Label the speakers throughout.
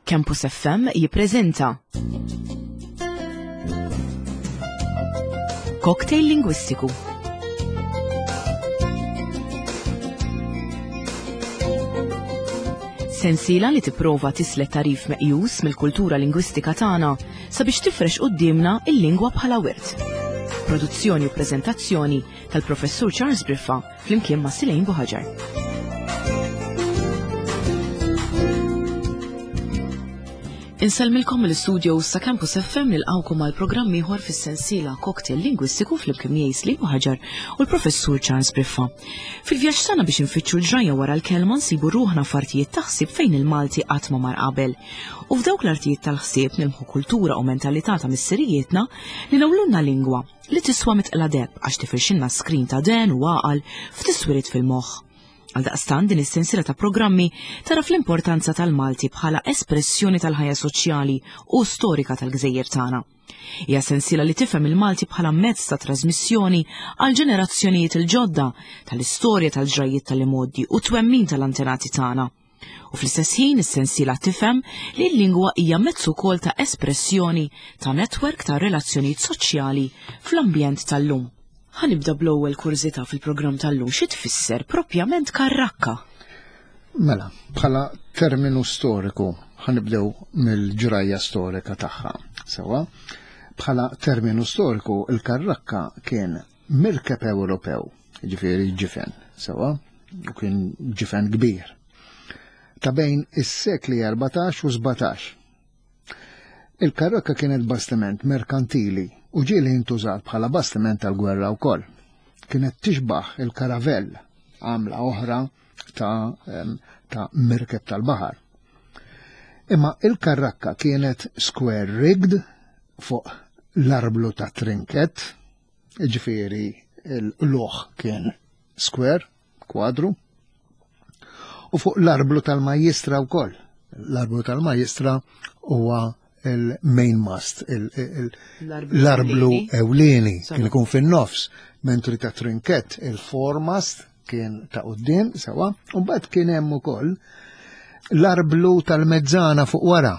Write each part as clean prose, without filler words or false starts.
Speaker 1: Campus FM jippreżenta Cocktail Lingwistiku. Sensiela li tipprova tislet tarif meqjus mill-kultura lingwistika tagħna sabiex tifrex quddiemna il-lingwa bħala wirt. Produzzjoni u preżentazzjoni tal-Professur Charles Briffa flimkien ma' Silejn Buħaġar. Insellmilkom mill-studio sa Campus FM nilqawkom għal programm ieħor fis-sensiela Cocktail Lingwistiku flimkien miegħi Slim Buħaġar u l-Professur Charles Briffa. Fil-vjaġġ tagħna biex infittxu l-ġrajja wara l-kelma nsibu ruħna f'artijiet ta' ħsieb fejn il-Malti qatt ma mar qabel. U f'dawk l-artijiet tal-ħsieb nilmħu kultura u mentalità ta' missirijietna li nawlulna lingwa li tiswa mitqla deheb għax tifirxilna skrin ta' den u għaqal f'tiswiriet fil-moħħ. Għaldaqstant din is-sensiela ta' programmi tara fl-importanza tal-Malti bħala espressjoni tal-ħajja soċjali u storika tal-gżejjer tagħna. Hija sensiela li tifhem il-Malti bħala mezz ta' trasmissjoni għal ġenerazzjonijiet il-ġodda tal-istorja tal-ġrajjiet tal-imgħoddi u twemmin tal-antenati tagħna. U fl-istess ħin is-sensiela tifhem li l-lingwa hija mezz ukoll ta' espressjoni ta' netwerk ta' relazzjonijiet soċjali fl-ambjent tal-lum. Ħa nibda bl-ewwel kurżità fil-programm tal-lum xi tfisser propjament karrakka?
Speaker 2: Mela, bħala terminu storiku ħanibdew mill-ġrajja storika tagħha. Sewa, bħala terminu storiku il-karrakka kien mirkeb Ewropew, ġifieri ġifen, sewa, u kien ġifen kbir. Ta' bejn is-sekli 14 u 17. Il-karokka kienet bastiment merkantili u ġieli intużat bħala bastiment tal-gwerra wkoll. Kienet tixbaħ il-karavell, għamla oħra ta', ta mirkeb tal-baħar. Imma il-karrakka kienet square rigged fuq l-arblu ta' trinket, Ġifieri l-luħ kien square, kwadru, u fuq l-arblu tal-majjistra wkoll. L-arblu tal-majjistra huwa il-main mast, l-arblu ewlieni kien ikun fin-nofs, mentri ta' trinket il-foremast kien ta' quddiem sewa, u mbagħad kien hemm ukoll l-arblu tal-mezzana fuq wara.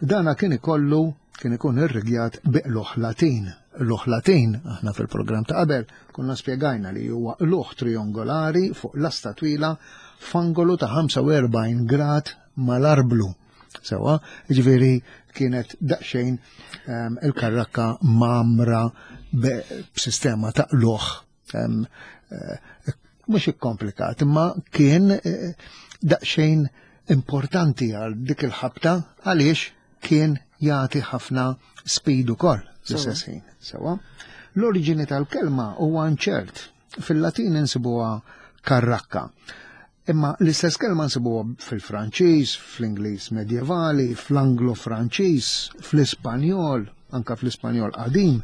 Speaker 2: Dana kien ikollu kien ikun irrigjat biqluħ Latin. Luħ Latin, aħna fil-programm ta' qabel, konna spjegajna li huwa luħ triongolari fuq lasta twila f'angolu ta' 45 grad mal-arblu. Sewa, ġifieri kienet daqsxejn ehm, il-karrakka mamra b'sistema ta' luħ ehm, eh, mhux ikkomplikat, imma kien eh, daqsxejn importanti għal dik il-ħabta għaliex kien jagħti ħafna speed ukoll fl-istess ħin. Sewa. L-oriġini tal-kelma huwa nċert. Fil-Latin insibuha karrakka. Imma l-istess kelma nsibuha fil-Franċiż, fl-Ingliż medjevali, fl-Anglo-Franċiż, fl-Ispanjol, anka fl-Ispanjol qadim,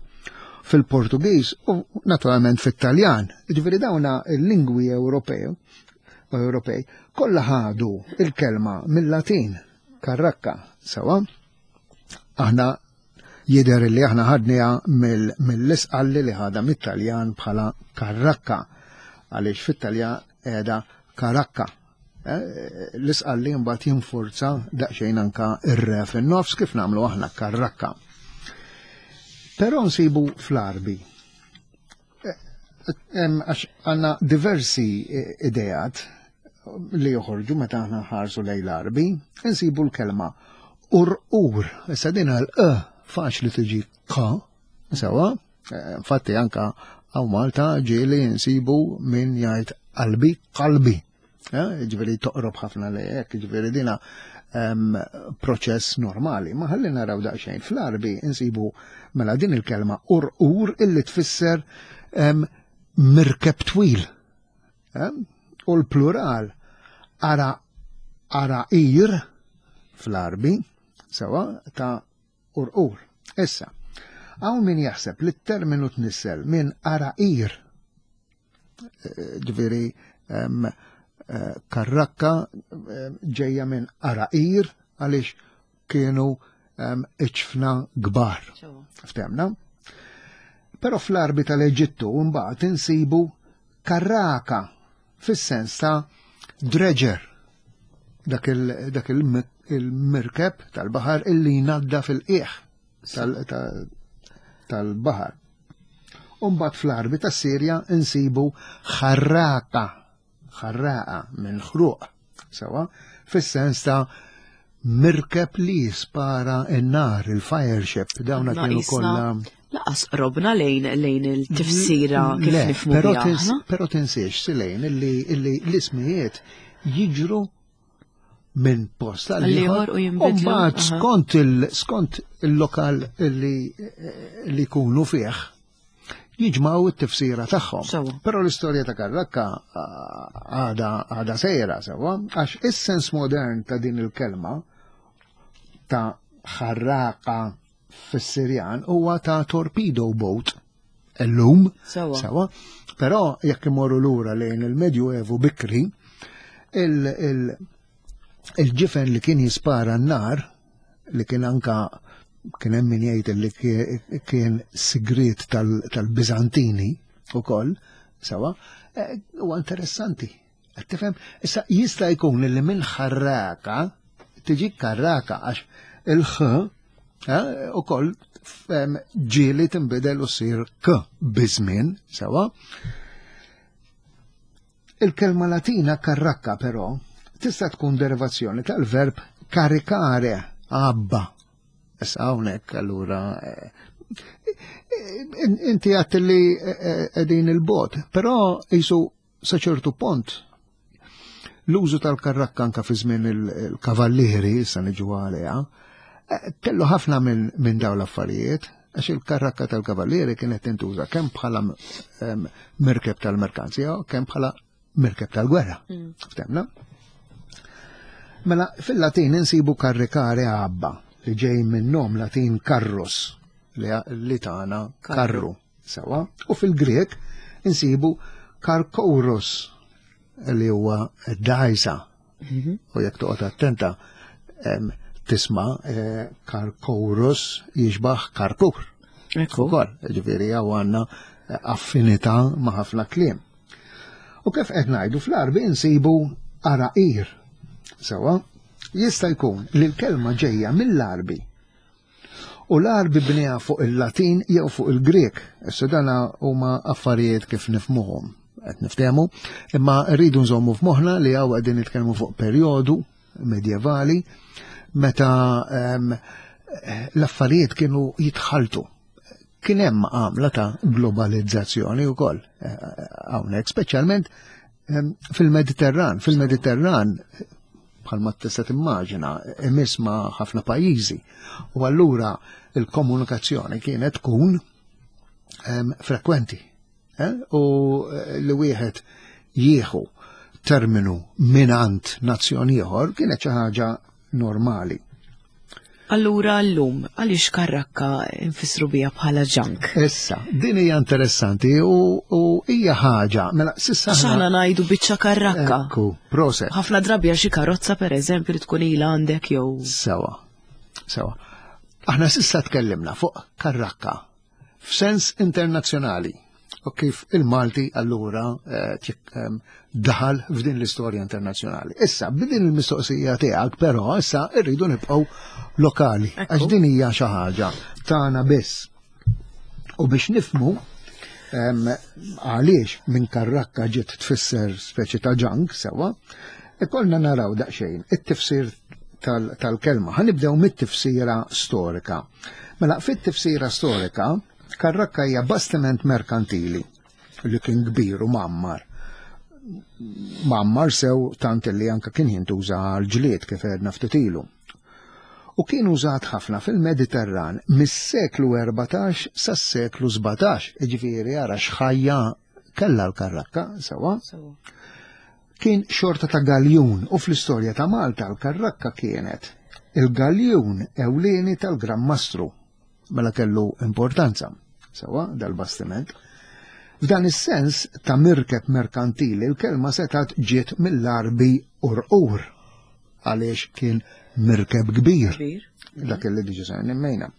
Speaker 2: fil-Portugiż u naturalment fit-Taljan. Ġifieri dawna l-lingwi Ewropew Ewropej kollha ħadu il-kelma mill-Latin karrakka sewa. Aħna jidher li aħna ħadniha mill-isqalli li ħadha mit-Taljan bħala karrakka għaliex fit-Taljan qiegħda karakka. Eh, l-isqalli mbagħad jinfurza daqsxejn anka ir-re fin-nofs kif nagħmlu aħna karrakka. Però nsibu fl-Arbi. Eh, għax għandna diversi eh, idejat li joħorġu meta aħna ħarsu lejn l-Arbi, nsibu l-kelma ur-ur. Issa din għal e faċli tiġi k, sewa, eh, infatti anka għaw Malta ġieli nsibu min jgħid qalbi qalbi. Eh, ġifieri toqrob ħafna li hekk, ġifieri dina proċess normali. Ma ħalli naraw daqsxejn fl-Arbi nsibu mela din il-kelma ur-ur illi tfisser mirkeb twil. U l-plural ara ara'ir fl-Arbi sewa ta' urqur. Issa, hawn min jaħseb li t-terminu tnissel minn ara'ir ġifieri eh, karrakka ġejja minn ara'ir għaliex kienu iċfna kbar. Ftemna? Però fl-arbi tal-Eġittu mbagħad insibu karraka fis-sens ta' dredger. Dak il-mirkeb tal-baħar illi jnadda fil-qiegħ tal-baħar. Umbat fl-Arbi tas-Sirja insibu ħarraqa, ħarraqa minn ħruq, sewa, fis-sens ta' mirkeb li jispara n-nar, il-fire ship, dawna kienu kollha.
Speaker 1: Laqas qrobna lejn lejn il-tifsira kif nifhmu
Speaker 2: però Però tinsiex silejn illi l-ismijiet jiġru minn post għal ieħor
Speaker 1: u jinbidlu.
Speaker 2: Mbagħad skont skont il-lokal li li jkunu fih jiġmaw it-tifsira tagħhom. Però l-istorja ta' Karrakka għada għada sejra sewwa, għax is-sens modern ta' din il-kelma ta' ħarraqa fis-Sirjan huwa ta' torpedo boat illum. Sewa. Però jekk imorru lura lejn il-Medjuevu bikri, il-ġifen li kien jispara n-nar, li kien anka kien hemm min jgħid li kien sigriet tal-Biżantini ukoll, sewa, eh, huwa interessanti. Qed tifhem? Issa jista' jkun li minn ħarraka tiġi karraka għax il-ħ eh, ukoll ġieli tinbidel u ssir k biżmien sewa. Il-kelma Latina karrakka però tista' tkun derivazzjoni tal-verb karikare, għabba. Issa hawnhekk allura eh, eh, inti għat li qegħdin il-bot, però jisu Sa ċertu pont, l-użu tal-karrakka anka fi żmien il-kavallieri, issa niġu għaliha, eh, kellu ħafna minn min dawn l-affarijiet, għax il-karrakka tal-kavallieri kienet tintuża kemm bħala mirkeb tal-merkanzija, kemm bħala mirkeb tal-gwerra. Ftemna? Mela, fil-Latin insibu karrikare għabba, li ġej minn nom Latin karrus, li tagħna karru. Sewa, u fil-Grek insibu karkourus li huwa dajsa. Mhm. U jekk toqgħod attenta tisma' eh, karkourus jixbaħ karkur.
Speaker 1: Ekku.
Speaker 2: Ukoll, ġifieri hawn għandna eh, affinità ma' ħafna kliem. U kif qed ngħidu fl-Arbi insibu araqir. Sewa, jista' jkun li l-kelma ġejja mill-Arbi U l-Għarbi bniha fuq il-Latin jew fuq il-Grieg. Issa dana huma affarijiet kif nifmuhom, qed niftehmu, imma rridu nżommu f'moħħna li hawn qegħdin nitkellmu fuq perjodu medjevali meta ehm, l-affarijiet kienu jitħaltu. Kien hemm għamla ta' globalizzazzjoni wkoll eh, hawnhekk, speċjalment ehm, fil-Mediterran. Fil-Mediterran bħalma tista' timmaġina, imiss ma' ħafna pajjiżi. U allura il-komunikazzjoni kienet tkun ehm, frekwenti. Eh? U eh, li wieħed jieħu terminu minant nazzjon ieħor kienet xi ħaġa normali.
Speaker 1: Allura llum għaliex karrakka nfissru bija bħala ġank?
Speaker 2: Issa, din hija interessanti u hija ħaġa, mela sissa.
Speaker 1: X'aħna ngħidu biċċa karrakka.
Speaker 2: Ekku, proset.
Speaker 1: Ħafna drabi għal xi karozza pereżempju li tkun ilha għandek jew.
Speaker 2: Sewa, sewa. Aħna sissa tkellimna fuq karrakka f'sens internazzjonali u kif il-Malti allura eh, daħal f'din l-istorja internazzjonali. Issa, b'din il-mistoqsija tiegħek però issa rridu nibqgħu lokali għax din hija xi ħaġa tagħna biss. U biex nifmu għaliex minn karrakka ġiet tfisser speċi ta' ġank sewa, ikollna naraw daqsxejn it-tifsir tal-kelma. Ħanibdew mit-tifsira storika. Mela, fit-tifsira storika, karrakka hija bastiment merkantili li kien kbir u mammar. Mammar sew tant li anka kien jintuża għal ġlied kif għedna ftit ilu. U kien użat ħafna fil-Mediterran mis-seklu 14 sas-seklu 17, jiġifieri ara x'ħajja kellha l-karrakka, sewa. Kien xorta ta' galjun u fl-istorja ta' Malta l-karrakka kienet il-galjun ewlieni tal-Gran Mastru. Mela kellu importanza, sewa, dal-bastiment. F'dan is-sens ta' mirkeb merkantili l-kelma setgħet ġiet mill-Għarbi urqur għaliex kien mirkeb kbir. Dak li diġa sa nimmejna.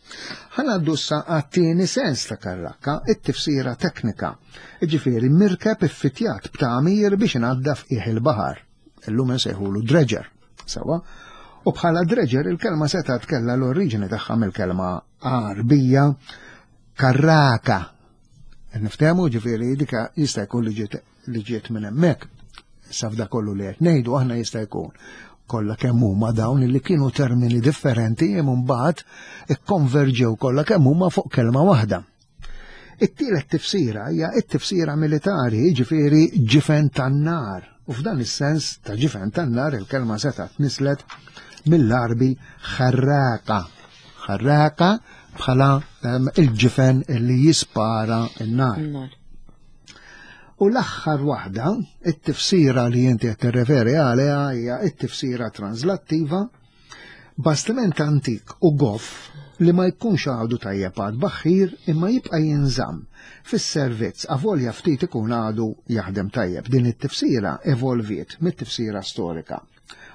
Speaker 2: Ħanaddu sa għat-tieni sens ta' karrakka, it-tifsira teknika. Ġifieri mirkeb iffitjat b'tagħmir biex inaddaf qiegħ il-baħar. Illum insejħulu dredger. Sewwa? U bħala dredger il-kelma setgħet kellha l-oriġini tagħha mill-kelma Għarbija karraka. Niftehmu ġifieri dika jista' jkun li ġiet li ġiet minn hemmhekk. Issa f'da kollu li qed ngħidu aħna jista' jkun kollha kemm huma dawn li kienu termini differenti imma mbagħad ikkonverġew kollha kemm huma fuq kelma waħda. It-tielet tifsira hija t-tifsira militari, jiġifieri ġifen tan-nar. U f'dan is-sens ta' ġifen tan-nar il-kelma setgħet nislet mill-Għarbi ħarraqa. Ħarraqa bħala ehm, il-ġifen li jispara n-nar. U l-aħħar waħda, it-tifsira li inti qed tirreferi għaliha hija t-tifsira translattiva Bastiment antik u goff li ma jkunx għadu tajjeb għat-tbaħħir imma jibqa' jinżamm fis-servizz avolja ftit ikun għadu jaħdem tajjeb. Din it-tifsira evolviet mit-tifsira storika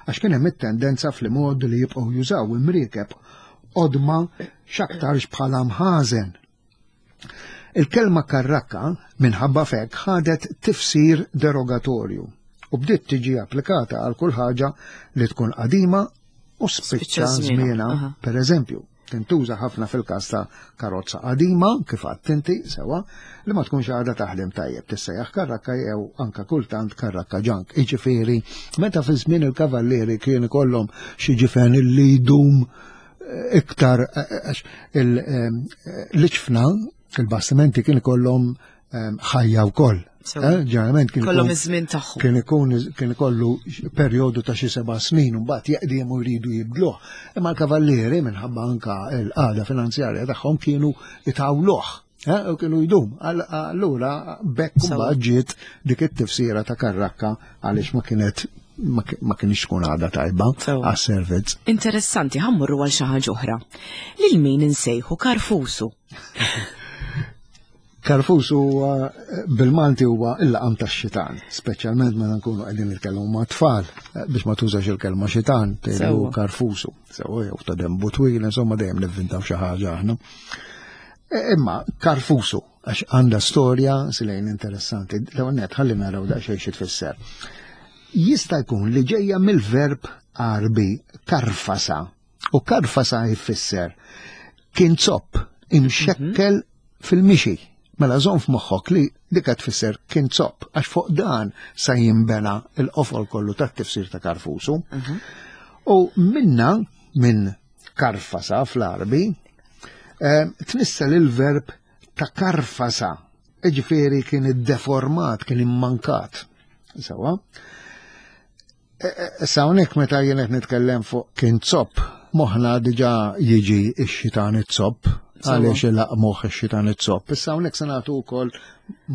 Speaker 2: għax kien hemm it-tendenza fl-imgħoddi li jibqgħu jużaw imriekeb qodma x'aktarx bħala mħażen. Il-kelma karrakka minħabba f'hekk ħadet tifsir derogatorju u bdiet tiġi applikata għal kull ħaġa li tkun qadima u spiċċa żmienha. Per eżempju, tintuża ħafna fil-każ ta' karozza qadima, kif għadt inti, sewa, li ma tkunx għadha taħdem tajjeb, tissejjaħ karrakka jew anka kultant karrakka ġank. Jiġifieri, meta fi żmien il-kavallieri kien ikollhom xi ġifen li jdum iktar għax l-iċfna il-bastimenti kien ikollhom ħajja wkoll. Eh, ġeneralment kien
Speaker 1: kollhom iż-żmien tagħhom.
Speaker 2: Kien ikun kien ikollu perjodu ta' xi seba' snin u mbagħad jeqdiem u jridu jibdluh. Imma l-kavallieri minħabba anka l-qagħda finanzjarja tagħhom kienu itawluh. Eh, u kienu jdum. Allura bekk mbagħad ġiet dik it-tifsira ta' karrakka għaliex ma kienet ma kienx tkun għada tajba għas-servizz.
Speaker 1: Interessanti, ħammurru għal xi ħaġa oħra. Lil min insejħu karfusu?
Speaker 2: Karfusu bil-Malti huwa il-laqam tax-xitan, speċjalment meta nkunu qegħdin nitkellmu ma' tfal eh, biex ma tużax il-kelma xitan, tgħidu karfusu, sew jew ta' dembu twil, insomma dejjem nivvintaw xi ħaġa aħna. E, imma karfusu, għax għandha storja silejn interessanti, l-ewwel net ħalli naraw daqsxejn xi tfisser. Jista' jkun li ġejja mill-verb Għarbi karfasa, u karfasa jfisser kien zopp imxekkel mhm. fil-mixi. Mela żomm f'moħħok li dika tfisser kien zopp, għax fuq dan sa jinbena il-qofol kollu tat-tifsir ta' karfusu. Mhm. U minna, minn karfasa fl-Għarbi, eh, tnissel il-verb ta' karfasa, ġifieri kien iddeformat, kien immankat. Sawa? E, e, issa hawnhekk meta jien qed nitkellem fuq kien zopp, moħħna diġà jiġi x-xitan it-zopp, għaliex il-laqmuħ ix-xitan it-zopp. Issa hawnhekk se nagħtu wkoll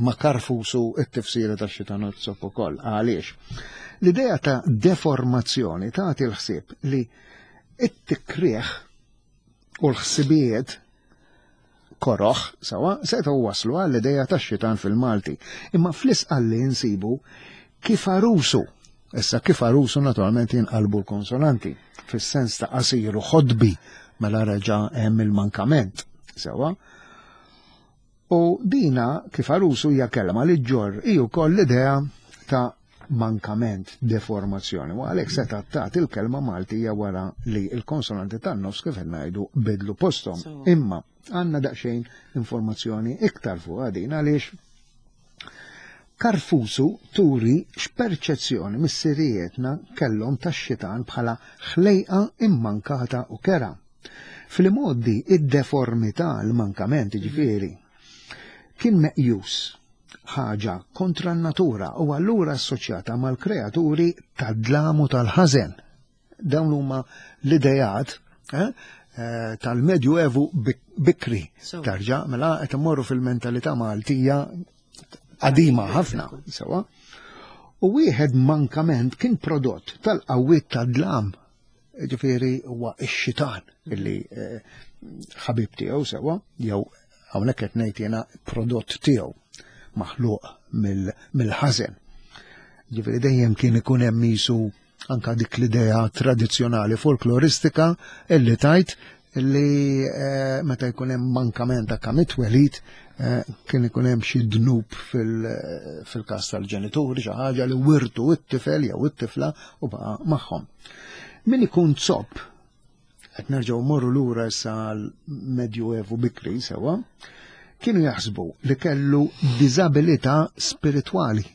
Speaker 2: ma karfusu t-tifsira tax-xitan it-zopp ukoll. Għaliex? L-idea ta' deformazzjoni tagħti l-ħsieb li It-tikrieħ u l-ħsibijiet koroħ, sawa, setgħu waslu għall-ideja tax-xitan fil-Malti. Imma fl-isqalli nsibu kif arusu. Issa kif arusu naturalment jinqalbu l-konsonanti, fis-sens ta' qasir u ħodbi mela reġa' hemm il-mankament. Sewa. U dina kif arusu hija kelma li ġġorr hi wkoll l-idea ta' mankament, deformazzjoni. U għalhekk seta' tagħti il-kelma Maltija wara li l-konsonanti tan-nofs kif qed ngħidu bidlu posthom. Imma għandna daqsxejn informazzjoni iktar fuq din għaliex Karfusu turi x'perċezzjoni missirijietna kellhom tax-xitan bħala ħlejqa immankata u kera. Fl-imgħoddi id-deformità, l-mankament ġifieri, kien meqjus ħaġa kontra n-natura u allura assoċjata mal-kreaturi tad-dlam u tal-ħażen. Dawn huma l-idejat eh, eh, tal-Medju Evu bikri. Tarġa, mela qed immorru fil-mentalità Maltija qadima ħafna, sewa. U wieħed mankament kien prodott tal-qawwiet tad-dlam Ġifieri huwa x-xitan illi eh, ħabib tiegħu sewa, jew hawnhekk qed ngħid jiena prodott tiegħu maħluq mill-ħażen. Ġifieri dejjem kien ikun hemm isu anka dik l-idea tradizzjonali folkloristika illi tajt li eh, meta jkun hemm mankament ta' kemm it-twelid eh, kien ikun hemm xi dnub fil-każ tal-ġenituri xi ħaġa li wirtu it-tifel jew it-tifla u baqa' magħhom. Min ikun zopp, qed nerġgħu morru lura issa għal-Medjuevu bikri sewa, kienu jaħsbu li kellu diżabilità spiritwali.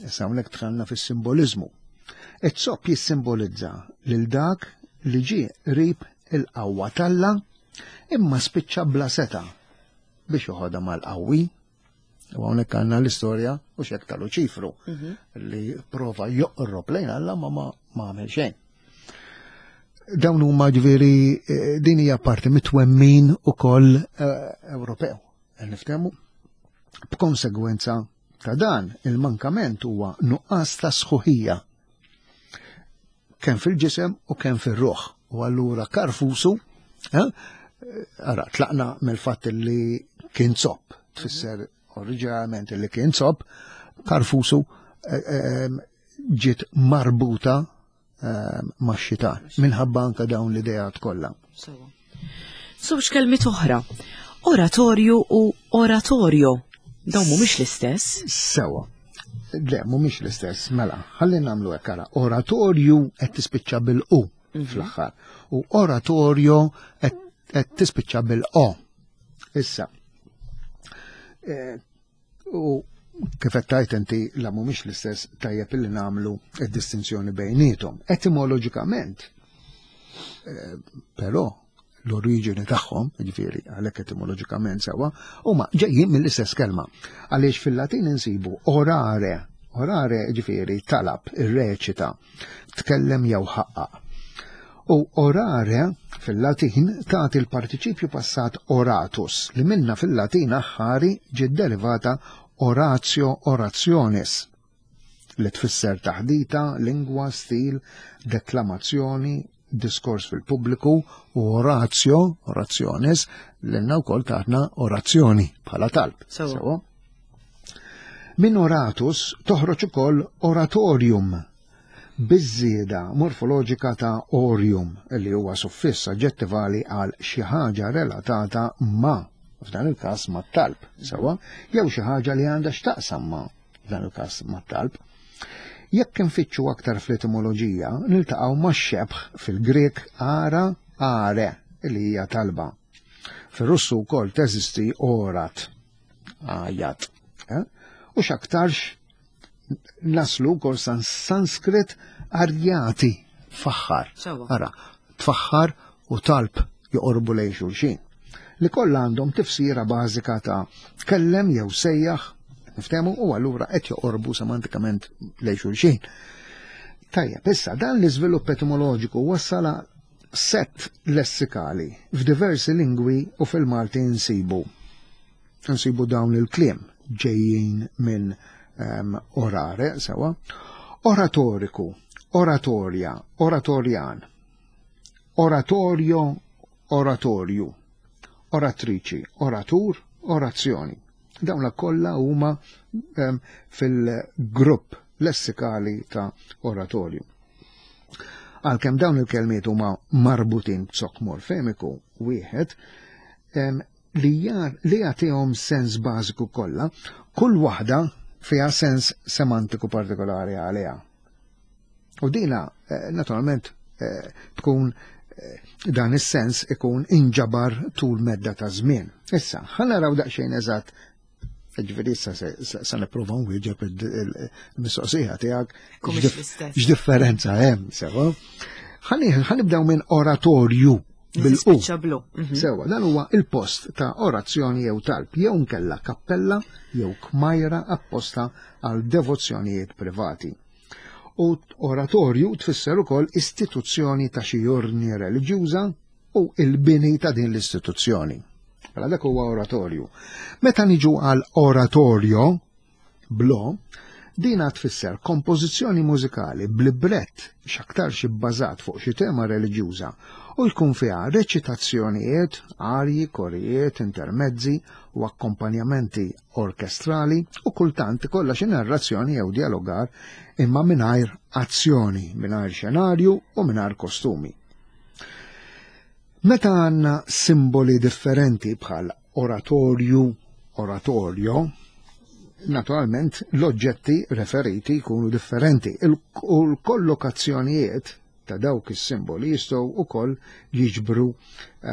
Speaker 2: Issa hawnhekk dħalna fis-simboliżmu. Iż-zopp jissimbolizza lil dak li ġie qrib il-qawwa t'Alla imma spiċċa bla seta biex joħodha mal-qawwi. U hawnhekk għandna l-istorja u xek ta' Luċifru li prova joqrob lejn Alla ma ma għamel xejn. Dawn huma ġifieri eh, din hija parti mit-twemmin ukoll eh, Ewropew. Niftehmu b'konsegwenza ta' dan il-mankament huwa nuqqas ta' sħuħija kemm fil-ġisem u kemm fir-ruħ. U allura karfusu, eh, ara, tlaqna mill-fatt li kien zopp, tfisser oriġinarjament li kien zopp, karfusu eh, eh, ġiet marbuta ma' xitan minħabba anka dawn l-idejat kollha.
Speaker 1: Żewġ kelmiet oħra, oratorju u oratorio. Dawn mhumiex l-istess.
Speaker 2: Sewa. Le, mhumiex l-istess, mela, ħalli nagħmlu hekk ara. Oratorju qed tispiċċa bil-u mhm. fl-aħħar u oratorio qed tispiċċa bil-o. Issa, eh, U kif qed tgħid inti la mhumiex l-istess tajjeb illi nagħmlu d-distinzjoni bejniethom. Etimoloġikament, eh, però l-oriġini tagħhom, jiġifieri għalhekk etimoloġikament sewwa, huma ġejjin mill-istess kelma. Għaliex fil-Latin insibu orare, orare jiġifieri talab, irreċita, tkellem jew ħaqqaq. U orare fil-Latin tagħti l-partiċipju passat oratus li minna fil-Latin aħħari ġiet derivata oratio orationis li tfisser taħdita, lingwa, stil, deklamazzjoni, diskors fil-pubbliku u oratio, orationis, l-inna wkoll taħna orazzjoni bħala talb. Sewa. Minn oratus toħroġ ukoll oratorium biż-żieda morfoloġika ta' orium li huwa suffiss aġġettivali għal xi ħaġa relatata ma' f'dan il-każ mat-talb, sewa, jew xi ħaġa li għandha x'taqsam ma' f'dan il-każ mat-talb. Jekk infittxu aktar fl-etimoloġija, niltaqgħu max-xebh fil-Grieg ara, are, li hija talba. Fir-Russu wkoll teżisti orat, għajat. Eh? U x'aktarx naslu wkoll Sanskrit arjati faħħar. Ara, tfaħħar u talb joqorbu lejn xulxin. Li kollha għandhom tifsira bażika ta' tkellem jew sejjaħ, niftehmu u allura qed joqorbu semantikament lejn xulxin. Tajjeb, issa dan l-iżvilupp etimoloġiku wassal sett lessikali f'diversi lingwi u fil-Malti nsibu nsibu dawn il-kliem ġejjin minn um, orare, sewa, oratoriku, oratorja, oratorjan, oratorio, oratorju, oratriċi, oratur, orazzjoni. Dawn kollha huma um, fil-grupp lessikali ta' oratorju. Għalkemm dawn il-kelmiet huma marbutin b'zokk morfemiku wieħed, li li jagħtihom sens bażiku kollha, kull waħda fiha sens semantiku partikolari għaliha. U dina, eh, naturalment, eh, tkun eh, dan is-sens ikun inġabar tul medda ta' żmien. Issa, ħa naraw daqsxejn eżatt Ġifieri issa se nipprova nwieġeb il-mistoqsija tiegħek. X'differenza hemm sewa. Ħanibdew minn oratorju bil-u. Mhm. Sewa, dan huwa il-post ta' orazzjoni jew talb, jew nkella kappella jew kmajra apposta għal devozzjonijiet privati. U oratorju tfisser ukoll istituzzjoni ta' xi ordni reliġjuża u il-bini ta' din l-istituzzjoni. Mela dak huwa oratorju. Meta niġu għal oratorio, blo, dina tfisser kompożizzjoni mużikali b'librett x'aktarx ibbażat fuq xi tema reliġjuża u jkun fiha reċitazzjonijiet, arji, korijiet, intermezzi u akkompanjamenti orkestrali u kultant ikollha xi narrazzjoni jew dialogar imma mingħajr azzjoni, mingħajr xenarju u mingħajr kostumi. Meta għandna simboli differenti bħal oratorju, oratorio, naturalment l-oġġetti referiti jkunu differenti u l-kollokazzjonijiet ta' dawk is-simboli jistgħu wkoll jiġbru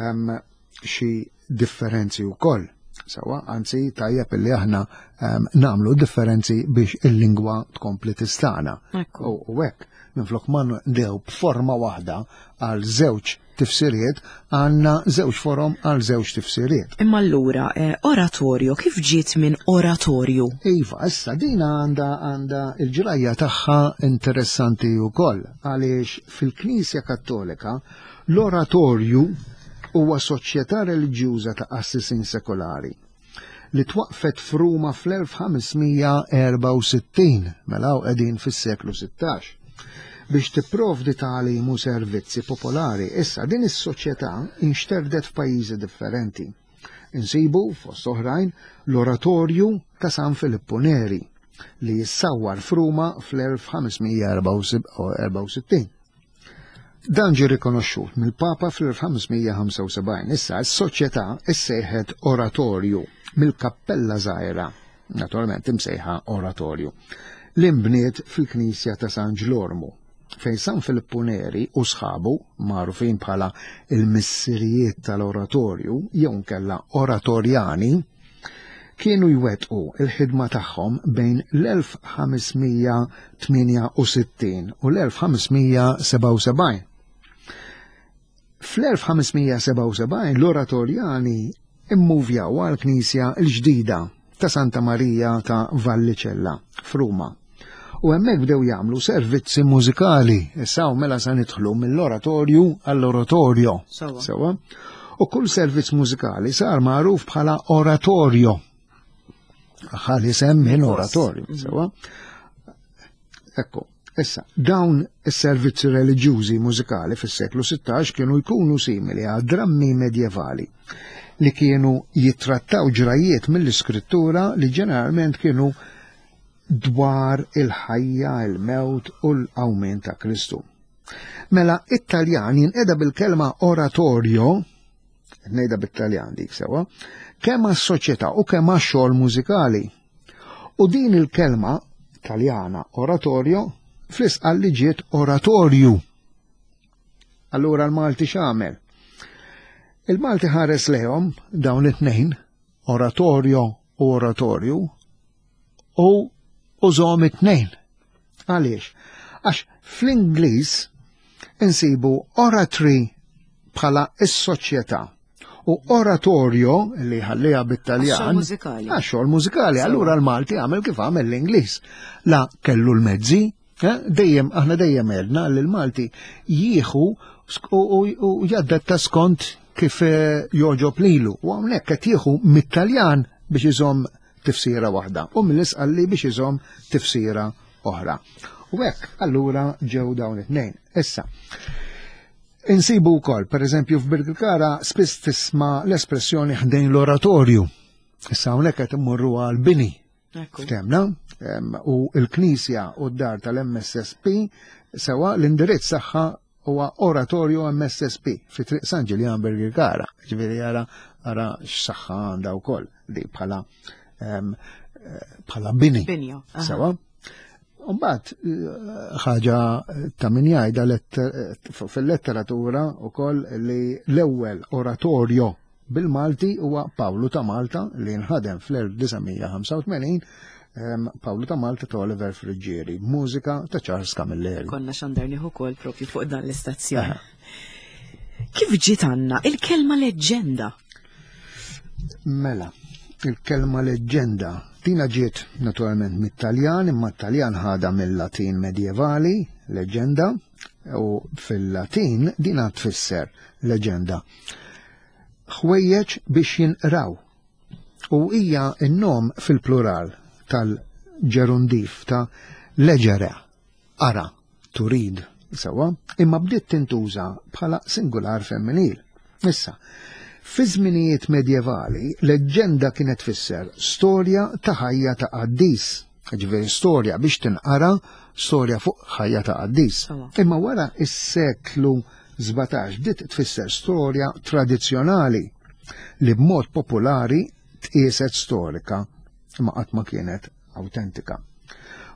Speaker 2: ehm, xi differenzi wkoll. Sawa, anzi tajjeb illi aħna ehm, nagħmlu differenzi biex il-lingwa tkompli tistana. U hekk minflok ma ndew b'forma waħda għal żewġ tifsiriet, għandna żewġ forom għal żewġ tifsiriet.
Speaker 1: Imma allura, eh, oratorju, kif ġiet minn oratorju?
Speaker 2: Iva, issa din għandha għandha il-ġrajja tagħha interessanti wkoll għaliex fil-Knisja Kattolika l-oratorju huwa soċjetà reliġjuża ta' qassisin sekolari li twaqfet f'Ruma fl-1564, mela hawn qegħdin fis-seklu 16, biex tipprovdi tagħlim u servizzi popolari. Issa din is-soċjetà inxterdet f'pajjiżi differenti. Insibu, fost oħrajn, l-Oratorju ta' San Filippu Neri li jissawwar f'Ruma fl-1564. Dan ġie rikonoxxut mill-Papa fl-1575. Issa s-soċjetà issejħet Oratorju mill-kappella żgħira, naturalment imsejħa Oratorju, li nbniet fil-knisja ta' San Ġlormu, fejn San Filippu Neri u sħabu, magħrufin bħala il-missirijiet tal-Oratorju jew nkella Oratorjani, kienu jwettqu l-ħidma tagħhom bejn l-1568 u l-1577. Fl-1577 l-Oratorjani immuvjaw għall-knisja l-ġdida ta' Santa Marija ta' Vallicella f'Ruma. U hemmhekk bdew jagħmlu servizzi mużikali. Issa mela sa nidħlu mill-oratorju għall-oratorio. Sewa. U kull servizz mużikali sar magħruf bħala oratorio. Ħalli sem minn oratorju, mhm. sewa. Ekku, issa, dawn is-servizzi reliġjużi mużikali fis-seklu 16 kienu jkunu simili għal drammi medjevali li kienu jittrattaw ġrajiet mill-iskrittura li ġeneralment kienu dwar il-ħajja, il-mewt u l-qawmien ta' Kristu. Mela, it-Taljan jinqeda bil-kelma oratorio, ngħidha bit-Taljan dik sewa, kemm għas-soċjetà u kemm għax-xogħol mużikali. U din il-kelma Taljana oratorio fl-isqal li ġiet oratorju. Allura l-Malti x'għamel? Il-Malti ħares lejhom dawn it-tnejn, oratorio u oratorju, u użhom it-tnejn. Għaliex? Għax fl-Ingliż insibu oratory bħala is-soċjetà u oratorio li ħalliha bit-Taljan. Għax-xogħol mużikali. Allura l-Malti għamel kif għamel l-Ingliż. La kellu l-mezzi, eh, dejjem aħna dejjem għedna li l-Malti jieħu u jaddatta skont kif eh, joġob lilu. U hawnhekk qed jieħu mit-Taljan biex iżomm tifsira waħda u mill-Isqalli biex iżomm tifsira oħra. U hekk allura ġew dawn it-tnejn. Issa, insibu wkoll, pereżempju f'Birkirkara spiss tisma' l-espressjoni ħdejn l-oratorju. Issa hawnhekk qed immorru għal bini. Ftemna, u l-Knisja u d-dar tal-MSSP sewa l-indirizz tagħha huwa Oratorio MSSP fi Triq San Ġiljan Birkirkara. Ġifieri ara ara x'saħħa għandha wkoll di bħala eh, bħala bini.
Speaker 1: Binja.
Speaker 2: Sewa. Mbagħad eh, ħaġa ta' min jgħidha eh, fil-letteratura wkoll li l-ewwel oratorio bil-Malti huwa Pawlu ta' Malta li nħadem fl-1985 Pawlu ta' Malta ta' Oliver Friggieri, mużika ta' Charles Camilleri.
Speaker 1: Konna xandarni ukoll propju fuq dan l-istazzjon. Kif ġiet għandna il-kelma leġġenda?
Speaker 2: Mela, il-kelma leġġenda tina ġiet naturalment mit-Taljan, imma t-Taljan ħada mill-Latin medjevali, leġġenda, u fil-Latin dina tfisser leġenda. Ħwejjeġ biex jinqraw. U hija n-nom fil-plural tal-ġerundif ta' leġere, ara, turid, sewa, imma bdiet tintuża bħala singular femminil. Issa, fi żminijiet medjevali, leġġenda kienet tfisser storja ta' ħajja ta' qaddis, ġifieri storja biex tinqara storja fuq ħajja ta' qaddis. Imma wara is-seklu 17 bdiet tfisser storja tradizzjonali li b'mod popolari tqieset storika imma qatt ma kienet awtentika.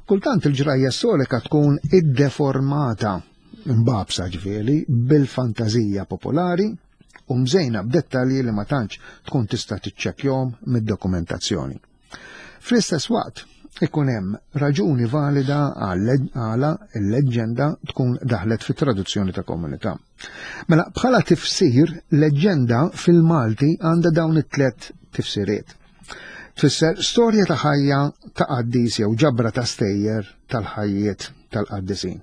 Speaker 2: Kultant il-ġrajja storika tkun iddeformata. imbagħbsa ġifieri bil-fantażija popolari u mżejna b'dettalji li ma tantx tkun tista' tiċċekkjahom mid-dokumentazzjoni. Fl-istess waqt, ikun hemm raġuni valida għala l-leġġenda tkun daħlet fit-traduzzjoni ta' komunità. Mela bħala tifsir, leġġenda fil-Malti għandha dawn it-tlet tifsiriet. Tfisser storja ta' ħajja ta' qaddis jew ġabra ta' stejjer tal-ħajjiet tal-qaddisin.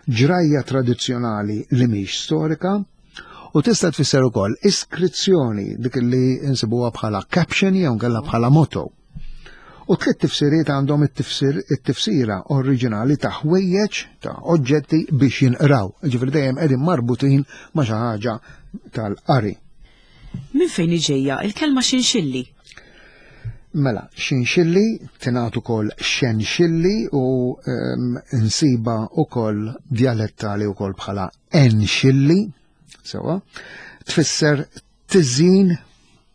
Speaker 2: Ġrajja tradizzjonali li mhix storika u tista' tfisser ukoll iskrizzjoni dik li insibuha bħala caption jew nkella bħala motto. U tliet tifsiriet għandhom it-tifsira oriġinali ta' ħwejjeġ ta' oġġetti biex jinqraw, ġifieri dejjem qegħdin marbutin ma' xi ħaġa tal-qari.
Speaker 1: Minn fejn ġejja il-kelma xinxilli?
Speaker 2: Mela, xinxilli tingħad ukoll xenxilli u um, nsiba ukoll dialettali ukoll bħala enxilli, sewa, tfisser tiżin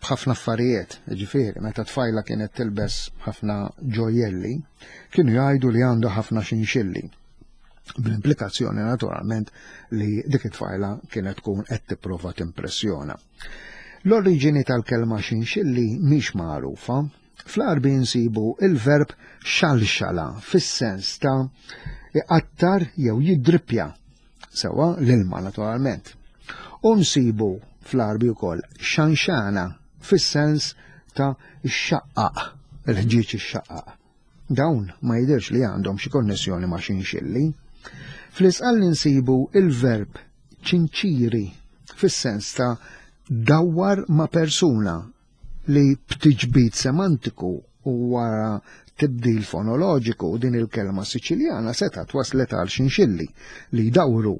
Speaker 2: b'ħafna affarijiet, ġifieri, meta tfajla kienet tilbes ħafna ġojjelli, kienu jgħidu li għandu ħafna xinxilli. Bl-implikazzjoni naturalment li dik it-tfajla kienet tkun qed tipprova timpressjona. L-oriġini tal-kelma xinxilli mhix magħrufa. Fl-Għarbi nsibu il-verb xalxala fis-sens ta' iqattar jew jiddrippja, sewa l-ilma naturalment. U nsibu fl-Għarbi wkoll xanxana fis-sens ta' xaqqaq, il-ħġieġ ixxaqqaq. Dawn ma jidhirx li għandhom xi konnessjoni ma' xinxilli. Fl-Isqalli nsibu il-verb ċinċiri fis-sens ta' dawwar ma' persuna li b'tiġbid semantiku u wara tibdil fonoloġiku din il-kelma Siċiljana setgħet waslet għal xinxilli li jdawru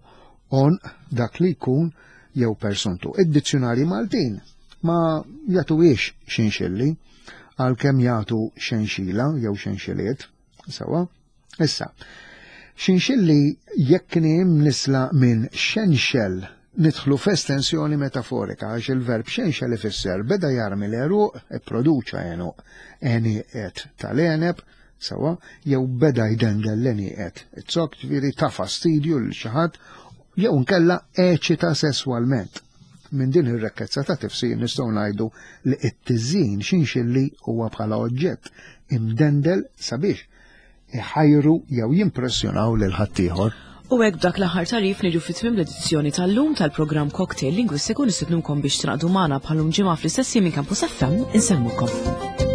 Speaker 2: għonq dak li jkun jew persuntu. Id-dizzjunarji Maltin ma jagħtuhiex xinxilli għalkemm jagħtu xenxila jew xenxiliet, sewa. Issa, xinxilli jekk kien hemm nisla minn xenxel nidħlu f'estensjoni metaforika għax il-verb xenxel ifisser beda jarmi l-għeruq, ipproduċa għenuq, għenieqet tal-għeneb, sewa, jew beda jdendel l-għenieqet. It-zokk ġifieri ta' fastidju lil xi ħadd jew nkella eċita sesswalment. Minn din ir-rekkezza ta' tifsir nistgħu ngħidu li t-tiżjin xinxilli huwa bħala oġġett imdendel sabiex iħajru jew jimpressjonaw lil ħaddieħor.
Speaker 1: U hekk b'dak l-aħħar tagħrif niġu fi tmiem l-edizzjoni tal-lum tal-programm Cocktail Lingwistiku nistednukom biex tingħaqdu magħna bħal-lum ġimgħa fl-istess jiem minn Campus FM insellmukom.